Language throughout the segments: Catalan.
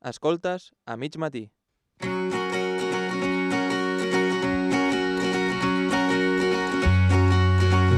Escoltes a mig matí.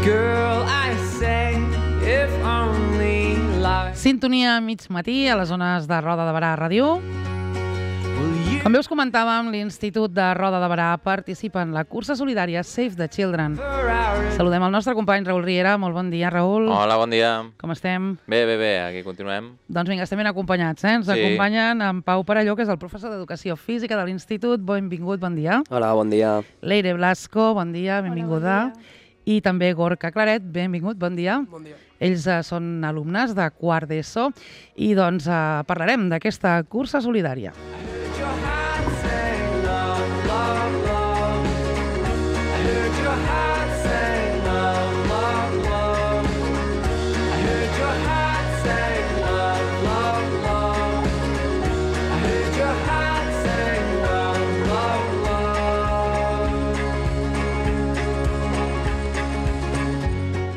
Girl, I say, if only life. Sintonia a mig matí a les zones de Roda de Berà Ràdio. Com bé us comentàvem, l'Institut de Roda de Berà participa en la cursa solidària Save the Children. Saludem el nostre company Raül Riera. Molt bon dia, Raül. Hola, bon dia. Com estem? Bé, aquí continuem. Doncs vinga, estem ben acompanyats, eh? Ens acompanyen en Pau Parelló, que és el professor d'Educació Física de l'Institut. Benvingut, bon dia. Hola, bon dia. Leire Blasco, bon dia, benvinguda. Hola, bon dia. I també Gorka Claret, benvingut, bon dia. Bon dia. Ells són alumnes de quart d'ESO i doncs parlarem d'aquesta cursa solidària.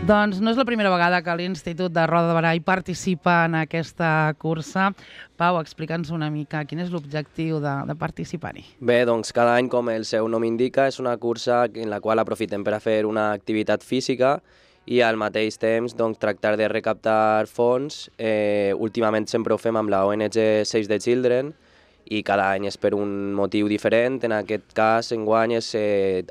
Doncs no és la primera vegada que l'Institut de Roda de Berà hi participa en aquesta cursa. Pau, explica'ns una mica quin és l'objectiu de participar-hi. Bé, doncs cada any, com el seu nom indica, és una cursa en la qual aprofitem per a fer una activitat física i al mateix temps doncs, tractar de recaptar fons. Últimament sempre ho fem amb la ONG Save the Children i cada any és per un motiu diferent. En aquest cas, enguany, és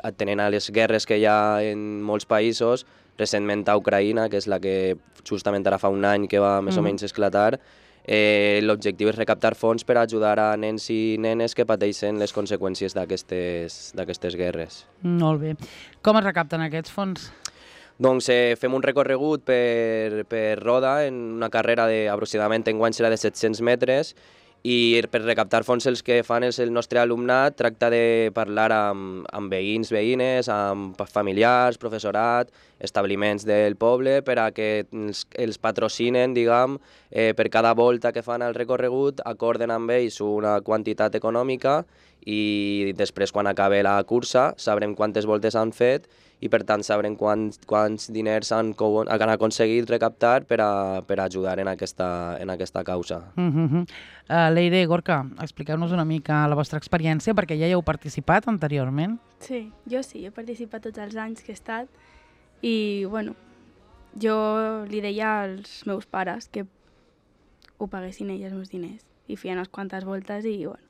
atenent a les guerres que hi ha en molts països, recentment a Ucraïna, que és la que justament ara fa un any que va més o menys esclatar. L'objectiu és recaptar fons per ajudar a nens i nenes que pateixen les conseqüències d'aquestes guerres. Molt bé. Com es recapten aquests fons? Doncs fem un recorregut per Roda en una carrera aproximadament enguany serà de 700 metres i per recaptar fons els que fan és el nostre alumnat, tracta de parlar amb veïns, veïnes, amb familiars, professorat, establiments del poble per a que els patrocinen, diguem, per cada volta que fan el recorregut, acorden amb ells una quantitat econòmica i després quan acabe la cursa sabrem quantes voltes han fet i per tant sabrem quants diners han aconseguit recaptar per a ajudar en aquesta causa. Leire, Gorka, expliqueu-nos una mica la vostra experiència perquè ja hi heu participat anteriorment. Sí, jo sí, he participat tots els anys que he estat i, bueno, jo li deia als meus pares que ho paguessin ells els meus diners i feien unes quantes voltes i, bueno,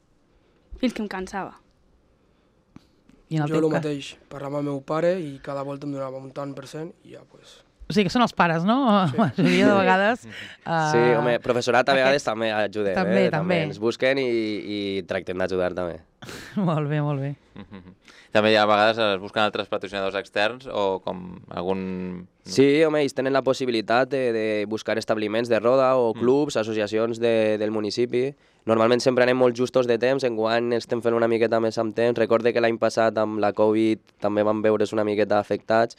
fins que em cansava. I en el Jo teu el cas? mateix, parlava amb el meu pare i cada volta em donava un tant per cent i ja, pues... O sigui que són els pares, no? Sí. La majoria de vegades... Sí, home, professorat a vegades també ajudem. També. Ens busquen i tractem d'ajudar també. Molt bé, molt bé. També a vegades es busquen altres patrocinadors externs o com algun... Sí, home, ells tenen la possibilitat de buscar establiments de Roda o clubs, associacions del municipi. Normalment sempre anem molt justos de temps, enguany estem fent una miqueta més amb temps. Recorde que l'any passat amb la Covid també vam veure's una miqueta afectats.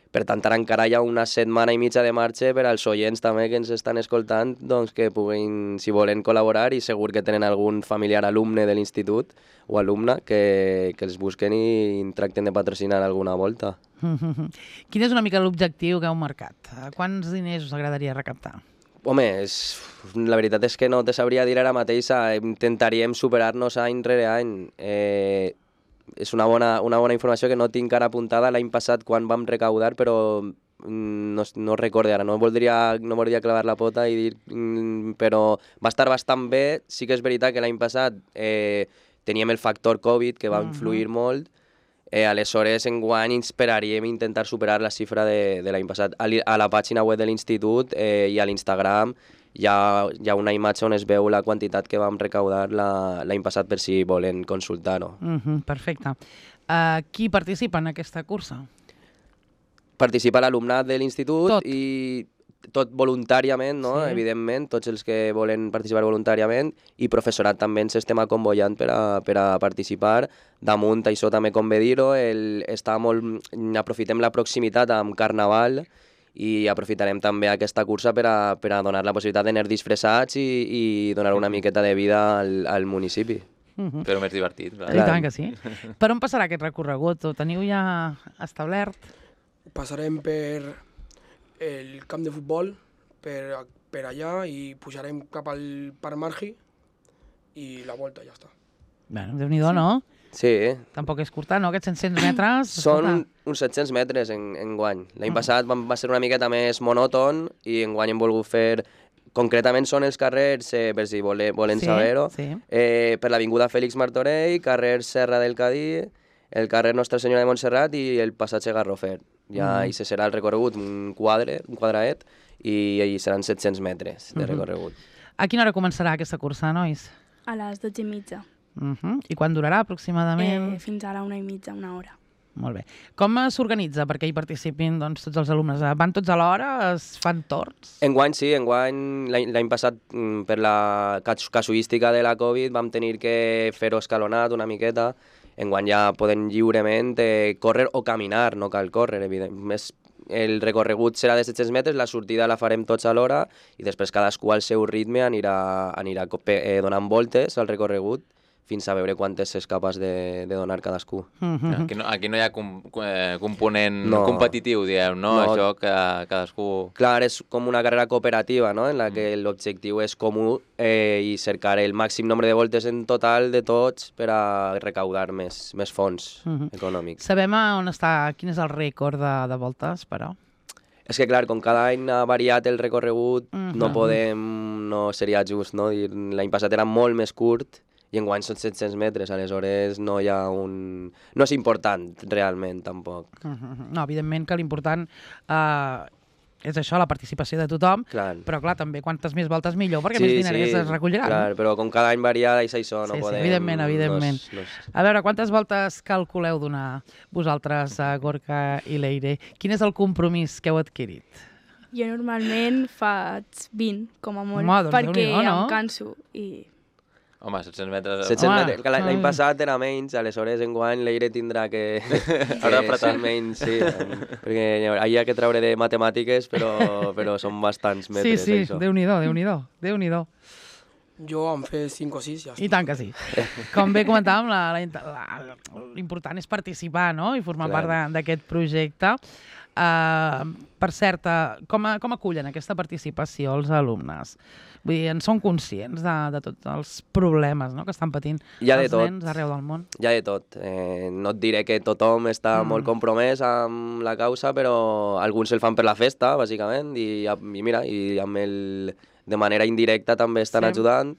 Per tant, ara encara hi ha una setmana i mitja de marxa per als oients també que ens estan escoltant, doncs que puguin, si volen col·laborar, i segur que tenen algun familiar alumne de l'institut o alumna que els busquen i tracten de patrocinar alguna volta. Quin és una mica l'objectiu que heu marcat? Quants diners us agradaria recaptar? Home, la veritat és que no te sabria dir ara mateix, intentaríem superar-nos any rere any. És una bona informació que no tinc ara apuntada l'any passat quan vam recaudar, però no recorde ara, no voldria clavar la pota i dir, però va estar bastant bé. Sí que és veritat que l'any passat teníem el factor Covid que va influir molt, aleshores enguany esperaríem intentar superar la xifra de l'any passat. A la pàgina web de l'Institut i a l'Instagram hi ha una imatge on es veu la quantitat que vam recaudar l'any passat per si volen consultar-ho. Perfecte. Qui participa en aquesta cursa? Participa l'alumnat de l'institut Tot. I tot voluntàriament, no? Sí. Evidentment, tots els que volen participar voluntàriament i professorat també ens estem acomboiant per a participar. Damunt això també convé dir-ho, aprofitem la proximitat amb Carnaval i aprofitarem també aquesta cursa per a donar la possibilitat d'anar disfressats i donar una miqueta de vida al municipi. Però més divertit. Clar. I tant que sí. Per on passarà aquest recorregut? Ho teniu ja establert? Passarem per el camp de futbol, per allà, i pujarem cap al Parc Margi i la volta, ja està. Bueno, Déu-n'hi-do, no? Sí, Tampoc és curta, no? Aquests 700 metres... són uns 700 metres en guany. L'any passat va ser una miqueta més monòton i en guany hem volgut fer... Concretament són els carrers, per si volen saber-ho, per l'Avinguda Fèlix Martorell, carrer Serra del Cadí, el carrer Nostra Senyora de Montserrat i el passatge Garrofer. Ja i se serà el recorregut, un quadraet, i seran 700 metres de recorregut. A quina hora començarà aquesta cursa, nois? A les 12:30. I quan durarà aproximadament? Fins a la 1:30, una hora. Molt bé. Com s'organitza perquè hi participin doncs, tots els alumnes? Van tots a l'hora? Es fan torns? Enguany sí, l'any passat per la casuística de la Covid vam tenir que fer-ho escalonat una miqueta. Enguany ja podem lliurement córrer o caminar, no cal córrer, evidentment. El recorregut serà de 700 metres, la sortida la farem tots a l'hora i després cadascú al seu ritme anirà donant voltes al recorregut fins a veure quantes és capaç de donar cadascú. Aquí no hi ha component competitiu, diguem, no? Això que cadascú... Clar, és com una carrera cooperativa, no?, en la que l'objectiu és comú i cercar el màxim nombre de voltes en total de tots per a recaudar més fons econòmics. Sabem on està, quin és el rècord de voltes, però? És que, clar, com cada any ha variat el recorregut, no seria just, no? L'any passat era molt més curt, i enguany són 700 metres, aleshores no hi ha un... No és important, realment, tampoc. No, evidentment que l'important és això, la participació de tothom, però clar, també quantes més voltes millor, perquè més diners es recolliran. Clar, però com cada any varia, és això, no podem... Evidentment. A veure, quantes voltes calculeu donar vosaltres, Gorka i Leire? Quin és el compromís que heu adquirit? Jo normalment faig 20, com a molt, perquè em canso i... Home, 700 metres... 700 metres. L'any passat era menys, aleshores enguany l'Eire tindrà que ser menys, sí. Perquè hi ha que treure de matemàtiques, però són bastants metres, sí, això. Déu-n'hi-do. Jo em fer 5 o 6, ja està. I tant que sí. Com bé comentàvem, l'important és participar, no?, i formar part d'aquest projecte. Per cert, com acullen aquesta participació els alumnes? Vull dir, en són conscients de tots els problemes que estan patint els nens arreu del món? Hi ha de tot. No et diré que tothom està molt compromès amb la causa, però alguns el fan per la festa, bàsicament, i mira, de manera indirecta també estan ajudant.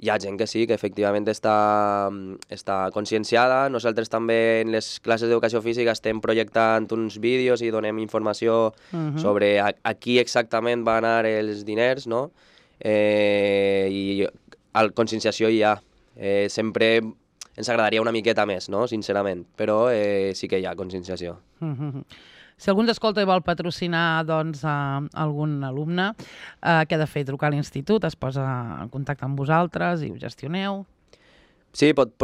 Hi ha gent que sí, que efectivament està conscienciada. Nosaltres també en les classes d'educació física estem projectant uns vídeos i donem informació sobre a qui exactament van anar els diners, no? I conscienciació hi ha. Sempre ens agradaria una miqueta més, no?, sincerament, però sí que hi ha conscienciació. Si algú ens escolta i vol patrocinar algun alumne, què ha de fer? Trucar a l'institut, es posa en contacte amb vosaltres i ho gestioneu? Sí, pot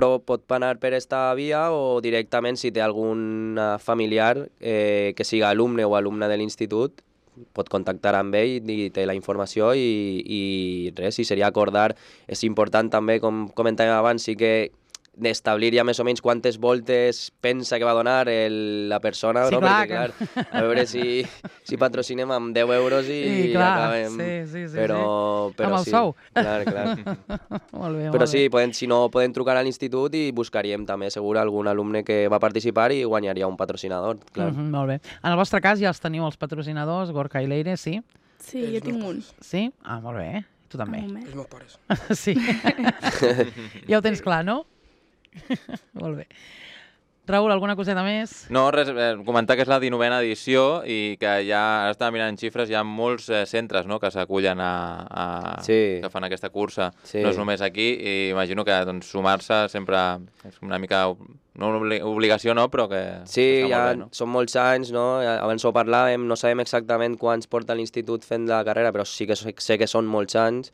anar per esta via o directament si té algun familiar que siga alumne o alumna de l'institut, pot contactar amb ell i té la informació i res, si seria acordar. És important també, com comentàvem abans, sí que d'establir ja més o menys quantes voltes pensa que va donar la persona, no? Perquè, clar, a veure si patrocinem amb 10 euros i acabem. Sí. Però amb el sou. Clar. Molt bé, però sí, si no, podem trucar a l'institut i buscaríem també segur algun alumne que va participar i guanyaria un patrocinador, clar. Molt bé. En el vostre cas ja els teniu els patrocinadors, Gorka i Leire, sí? Sí, jo tinc un. Sí? Ah, molt bé. Tu també? Els meus pares. Sí. Ja ho tens clar, no? Molt bé. Raül, alguna coseta més? No, res, comentar que és la 19a edició i que ja, ara estava mirant xifres, hi ha molts centres que s'acullen que fan aquesta cursa. Sí. No és només aquí i imagino que sumar-se sempre és una mica, no una obligació, no, però que sí, està ja molt bé, no? Són molts anys, no? Abans ho parlàvem, no sabem exactament quants porta l'institut fent la carrera, però sí que sé que són molts anys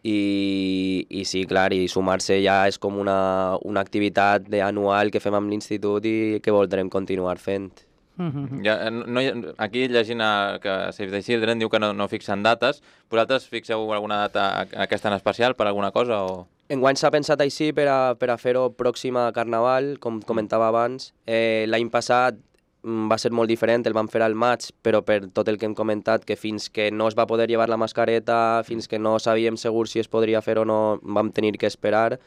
i sí, clar, i sumar-se ja és com una activitat anual que fem amb l'institut i que voldrem continuar fent. Aquí llegint que Save the Children diu que no fixen dates. Vosaltres fixeu alguna data aquesta en especial per alguna cosa? Enguany s'ha pensat així per a fer-ho pròxim a Carnaval, com comentava abans. L'any passat va ser molt diferent, el vam fer al maig, però per tot el que hem comentat, que fins que no es va poder llevar la mascareta, fins que no sabíem segur si es podria fer o no, vam tenir que esperar.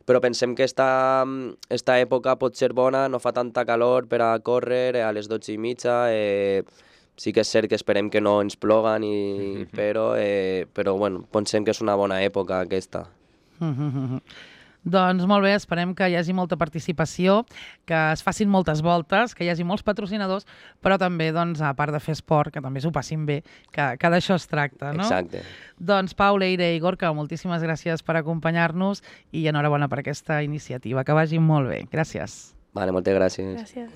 Però pensem que esta època pot ser bona, no fa tanta calor per a córrer a les 12:30, sí que és cert que esperem que no ens ploguen, però bueno, pensem que és una bona època aquesta. Doncs molt bé, esperem que hi hagi molta participació, que es facin moltes voltes, que hi hagi molts patrocinadors, però també, doncs, a part de fer esport, que també s'ho passin bé, que d'això es tracta, no? Exacte. Doncs Pau, Leire i Gorka, moltíssimes gràcies per acompanyar-nos i enhorabona per aquesta iniciativa. Que vagi molt bé. Gràcies. Vale, moltes gràcies. Gràcies.